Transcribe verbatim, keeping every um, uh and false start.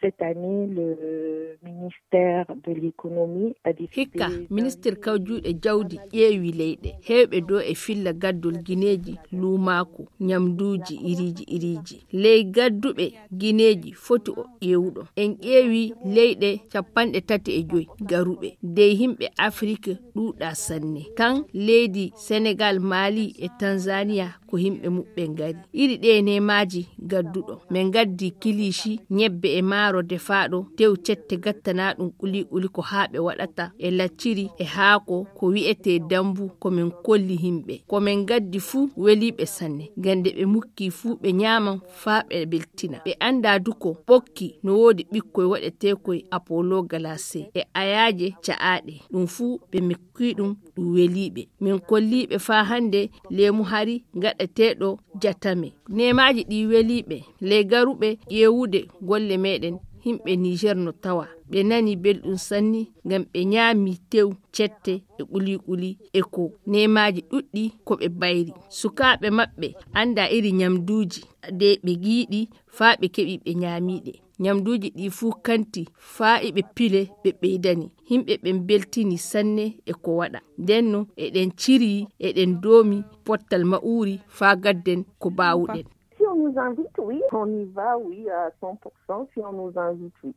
Cette année, le ministère de l'économie a décidé... Hikka, ministir kawjuuɗe jawdi ƴeewi leyɗe heewɓe dow e filla gaddol gineeji luumaaku, ñamduuji iriiji iriiji. Ley gadduɓe gineeji foti o ƴeewuɗo. En ƴeewi leyɗe capanɗe tati e joy garuɓe. Dey himɓe Afrik ɗuuɗa sanne. Tan leydi Senegal, Mali e Tanzania ko himɓe muɓɓe ngari. Iri ɗe nemaaji gadduɗo. Min gaddi kilishi, ñebbe e maaro defaaɗo, tew cette gattana ɗum quli quli ko haa ɓe waɗata e lacciri e haako ko wi'etee dambu ko min kolli himɓe. Ko min gaddi fuu weliiɓe sanne. Gande ɓe mukki fuu ɓe ñaaman faa ɓe beltina. Ɓe anndaa du ko ɓokki no woodi ɓikkoy waɗeteekoy Apollo Galase e ayaaje ca'aaɗe. Ɗum fuu ɓe mukki ɗum ɗum weliiɓe. Min kolliiɓe faa hannde leemu hari gaɗeteeɗo jatame. Nemaaji ɗi weliiɓe ley garuɓe ƴeewude golle meɗen. Himɓe Niger no tawa ɓe nani belɗum sanni ngam ɓe ñaami tew, cette e quli quli e ko nemaaji ɗuɗɗi ko ɓe bayri. Sukaaɓe maɓɓe anndaa iri ñamduuji de ɓe giiɗi faa ɓe keɓi ɓe ñaamiiɗe. Ñamduuji ɗi fuu kanti faa iɓe pile ɓe ɓeydani. Himɓe ɓen beltini sanne e ko waɗa. Ndenno eɗen ciri, eɗen doomi pottal ma'uri faa gadden ko baawuɗen. Si on nous invite, oui, on y va, oui, à cent pour cent, si on nous invite, oui.